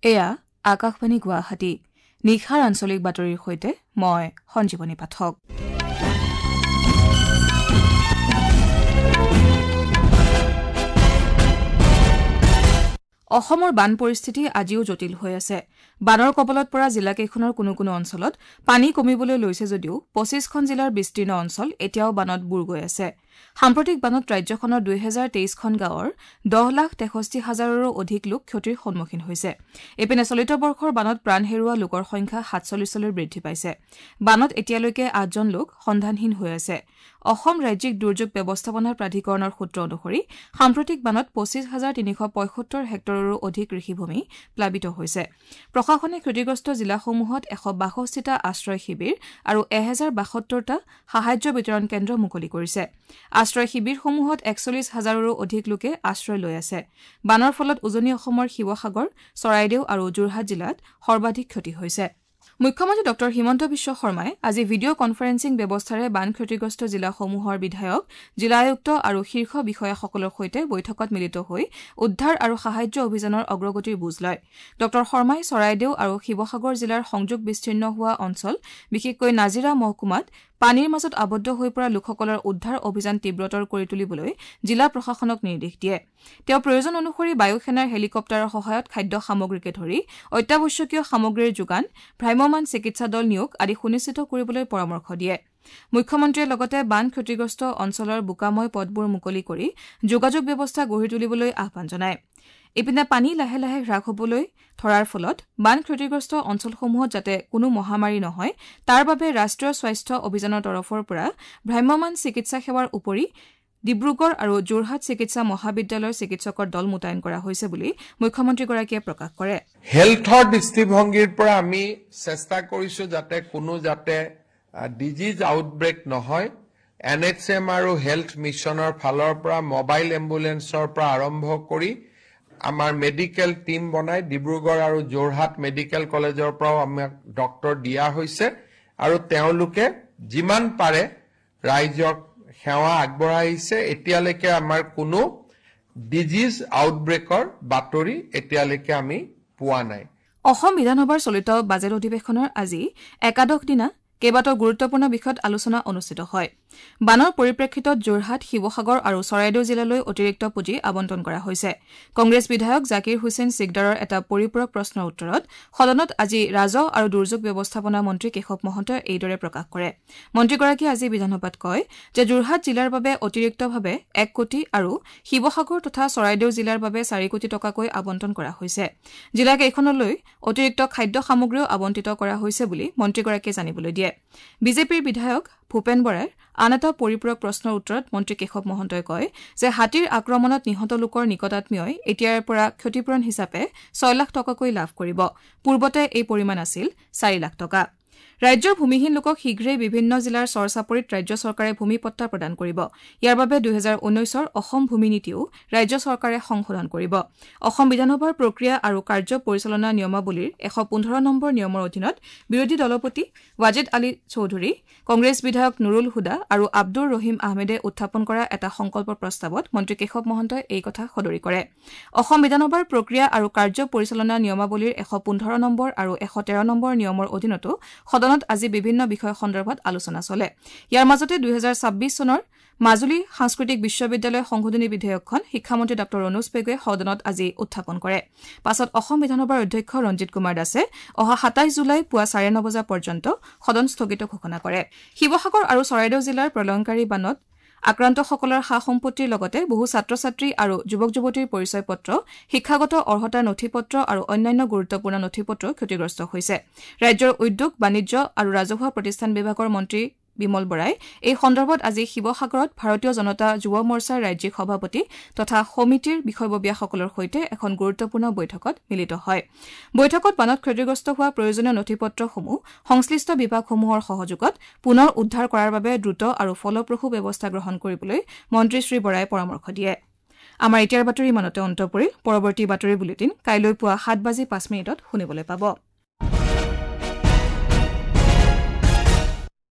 এয়া আকাশবাণী গুৱাহাটী। নিশাৰ আঞ্চলিক বাতৰিৰ সৈতে মই সঞ্জীৱনী পাঠক। অসমৰ বান পৰিস্থিতি আজিও জটিল হৈ আছে। বানৰ কবলত পৰা জিলাকেইখনৰ কোনো কোনো অঞ্চলত পানী কমিবলৈ লৈছে যদিও 25খন জিলাৰ বিস্তীৰ্ণ অঞ্চল এতিয়াও বানত বুৰ গৈ আছে। সাম্প্ৰতিক বানত ৰাজ্যখনৰ 2023খন গাঁৱৰ 10,63,000ৰো অধিক লোক ক্ষতিৰ সন্মুখীন হৈছে। ইপিনে চলিত বৰ্ষৰ বানত প্ৰাণ হেৰুওৱা লোকৰ সংখ্যা 47লৈ বৃদ্ধি পাইছে। বানত এতিয়ালৈকে 8জন লোক সন্ধানহীন হৈ আছে। অসম ৰাজ্যিক দুৰ্যোগ ব্যৱস্থাপনা প্ৰাধিকৰণৰ সূত্ৰ অনুসৰি সাম্প্ৰতিক বানত 25,375 হেক্টৰৰো অধিক কৃষিভূমি প্লাবিত হৈছে। প্ৰশাসনে ক্ষতিগ্ৰস্ত জিলাসমূহত 162টা আশ্ৰয় শিবিৰ আৰু 1072টা সাহায্য বিতৰণ কেন্দ্ৰ মুকলি কৰিছে। আশ্ৰয় শিবিৰসমূহত 41,000ৰো অধিক লোকে আশ্ৰয় লৈ আছে। বানৰ ফলত উজনি অসমৰ শিৱসাগৰ, চৰাইদেউ আৰু যোৰহাট জিলাত সৰ্বাধিক ক্ষতি হৈছে। মুখ্যমন্ত্ৰী ডঃ হিমন্ত বিশ্ব শৰ্মাই আজি ভিডিঅ' কনফাৰেন্সিং ব্যৱস্থাৰে বান ক্ষতিগ্ৰস্ত জিলাসমূহৰ বিধায়ক, জিলা আয়ুক্ত আৰু শীৰ্ষ বিষয়াসকলৰ সৈতে বৈঠকত মিলিত হৈ উদ্ধাৰ আৰু সাহায্য অভিযানৰ অগ্ৰগতিৰ বুজ লয়। ডঃ শৰ্মাই চৰাইদেউ আৰু শিৱসাগৰ জিলাৰ সংযোগ বিচ্ছিন্ন হোৱা অঞ্চল, বিশেষকৈ নাজিৰা মহকুমাত পানীৰ মাজত আবদ্ধ হৈ পৰা লোকসকলৰ উদ্ধাৰ অভিযান তীব্ৰতৰ কৰি তুলিবলৈ জিলা প্ৰশাসনক নিৰ্দেশ দিয়ে। তেওঁ প্ৰয়োজন অনুসৰি বায়ুসেনাৰ হেলিকপ্টাৰৰ সহায়ত খাদ্য সামগ্ৰীকে ধৰি অত্যাৱশ্যকীয় সামগ্ৰীৰ যোগান, ভ্ৰাম্যমাণ চিকিৎসা দল নিয়োগ আদি সুনিশ্চিত কৰিবলৈ পৰামৰ্শ দিয়ে। মুখ্যমন্ত্ৰীয়ে লগতে বান ক্ষতিগ্ৰস্ত অঞ্চলৰ বোকাময় পথবোৰ মুকলি কৰি যোগাযোগ ব্যৱস্থা গঢ়ি তুলিবলৈ আহ্বান জনায়। ইপিনে পানী লাহে লাহে হ্ৰাস হবলৈ ধৰাৰ ফলত বান ক্ষতিগ্ৰস্ত অঞ্চলসমূহত যাতে কোনো মহামাৰী নহয় তাৰ বাবে ৰাষ্ট্ৰীয় স্বাস্থ্য অভিযানৰ তৰফৰ পৰা ভ্ৰাম্যমাণ চিকিৎসা সেৱাৰ উপৰি ডিব্ৰুগড় আৰু যোৰহাট চিকিৎসা মহাবিদ্যালয়ৰ চিকিৎসকৰ দল মোতায়েন কৰা হৈছে বুলি মুখ্যমন্ত্ৰীগৰাকীয়ে প্ৰকাশ কৰে। হেল্থৰ দৃষ্টিভংগীৰ পৰা আমি চেষ্টা কৰিছো যাতে কোনো যাতে ডিজিজ আউটব্ৰেক নহয়। এন এইচ এম আৰু হেল্থ মিছনৰ ফালৰ পৰা মোবাইল এম্বুলেন্সৰ পৰা আৰম্ভ কৰি আমাৰ মেডিকেল টীম বনাই ডিব্ৰুগড় আৰু যোৰহাট মেডিকেল কলেজৰ পৰাও আমাক ডক্তৰ দিয়া হৈছে আৰু তেওঁলোকে যিমান পাৰে ৰাইজক সেৱা আগবঢ়াইছে। এতিয়ালৈকে আমাৰ কোনো ডিজিজ আউটব্ৰেকৰ বাতৰি এতিয়ালৈকে আমি পোৱা নাই। অসম বিধানসভাৰ চলিত বাজেট অধিৱেশনৰ আজি একাদশ দিনা কেইবাটাও গুৰুত্বপূৰ্ণ বিষয়ত আলোচনা অনুষ্ঠিত হয়। বানৰ পৰিপ্ৰেক্ষিতত যোৰহাট, শিৱসাগৰ আৰু চৰাইদেউ জিলালৈ অতিৰিক্ত পুঁজি আবণ্টন কৰা হৈছে। কংগ্ৰেছ বিধায়ক জাকিৰ হুছেইন চিকদাৰৰ এটা পৰিপূৰক প্ৰশ্নৰ উত্তৰত সদনত আজি ৰাজহ আৰু দুৰ্যোগ ব্যৱস্থাপনা মন্ত্ৰী কেশৱ মহন্তই এইদৰে প্ৰকাশ কৰে। মন্ত্ৰীগৰাকীয়ে আজি বিধানসভাত কয় যে যোৰহাট জিলাৰ বাবে অতিৰিক্তভাৱে 1 কোটি আৰু শিৱসাগৰ তথা চৰাইদেউ জিলাৰ বাবে 4 কোটি টকাকৈ আবণ্টন কৰা হৈছে। জিলাকেইখনলৈ অতিৰিক্ত খাদ্য সামগ্ৰীও আবণ্টিত কৰা হৈছে বুলি মন্ত্ৰীগৰাকীয়ে জানিবলৈ দিয়ে। বিজেপিৰ বিধায়ক ভূপেন বৰাই আন এটা পৰিপূৰক প্ৰশ্নৰ উত্তৰত মন্ত্ৰী কেশৱ মহন্তই কয় যে হাতীৰ আক্ৰমণত নিহত লোকৰ নিকটাত্মীয়ই এতিয়াৰে পৰা ক্ষতিপূৰণ হিচাপে 6 লাখ টকাকৈ লাভ কৰিব। পূৰ্বতে এই পৰিমাণ আছিল 4 লাখ টকা। ৰাজ্যৰ ভূমিহীন লোকক শীঘ্ৰেই বিভিন্ন জিলাৰ চৰ চাপৰিত ৰাজ্য চৰকাৰে ভূমি পট্টা প্ৰদান কৰিব। ইয়াৰ বাবে 2019ৰ অসম ভূমি নীতিও ৰাজ্য চৰকাৰে সংশোধন কৰিব। অসম বিধানসভাৰ প্ৰক্ৰিয়া আৰু কাৰ্য পৰিচালনা নিয়মাৱলীৰ 115 নম্বৰ নিয়মৰ অধীনত বিৰোধী দলপতি ৱাজেদ আলী চৌধুৰী, কংগ্ৰেছ বিধায়ক নুৰুল হুদা আৰু আব্দুৰ ৰহিম আহমেদে উত্থাপন কৰা এটা সংকল্প প্ৰস্তাৱত মন্ত্ৰী কেশৱ মহন্তই এই কথা সদৰি কৰে। অসম বিধানসভাৰ প্ৰক্ৰিয়া আৰু কাৰ্য পৰিচালনা নিয়মাৱলীৰ 115 নম্বৰ আৰু 113 নম্বৰ নিয়মৰ অধীনতো সদনত আজি বিভিন্ন বিষয় সন্দৰ্ভত আলোচনা চলে। ইয়াৰ মাজতে 2026 চনৰ মাজুলী সাংস্কৃতিক বিশ্ববিদ্যালয় সংশোধনী বিধেয়কখন শিক্ষামন্ত্ৰী ডঃ ৰণোজ পেগুৱে সদনত আজি উত্থাপন কৰে। পাছত অসম বিধানসভাৰ অধ্যক্ষ ৰঞ্জিত কুমাৰ দাসে অহা 27 জুলাই পুৱা 9:30 বজা পৰ্যন্ত সদন স্থগিত ঘোষণা কৰে। শিৱসাগৰ আৰু চৰাইদেউ জিলাৰ প্ৰলয়ংকাৰী বানত আক্ৰান্তসকলৰ সা সম্পত্তিৰ লগতে বহু ছাত্ৰ ছাত্ৰী আৰু যুৱক যুৱতীৰ পৰিচয় পত্ৰ, শিক্ষাগত অৰ্হতাৰ নথি পত্ৰ আৰু অন্যান্য গুৰুত্বপূৰ্ণ নথি পত্ৰ ক্ষতিগ্ৰস্ত হৈছে। ৰাজ্যৰ উদ্যোগ, বাণিজ্য আৰু ৰাজহুৱা প্ৰতিষ্ঠান বিভাগৰ মন্ত্ৰী বিমল বৰাই এই সন্দৰ্ভত আজি শিৱসাগৰত ভাৰতীয় জনতা যুৱ মৰ্চাৰ ৰাজ্যিক সভাপতি তথা সমিতিৰ বিষয়ববীয়াসকলৰ সৈতে এখন গুৰুত্বপূৰ্ণ বৈঠকত মিলিত হয়। বৈঠকত বানত ক্ষতিগ্ৰস্ত হোৱা প্ৰয়োজনীয় নথি পত্ৰসমূহ সংশ্লিষ্ট বিভাগসমূহৰ সহযোগত পুনৰ উদ্ধাৰ কৰাৰ বাবে দ্ৰুত আৰু ফলপ্ৰসূ ব্যৱস্থা গ্ৰহণ কৰিবলৈ মন্ত্ৰী শ্ৰী বৰাই পৰামৰ্শ দিয়ে। আমাৰ এতিয়াৰ বাতৰি ইমানতে অন্ত পৰিল। পৰৱৰ্তী বাতৰি বুলেটিন কাইলৈ পুৱা 7:05 শুনিবলৈ পাব।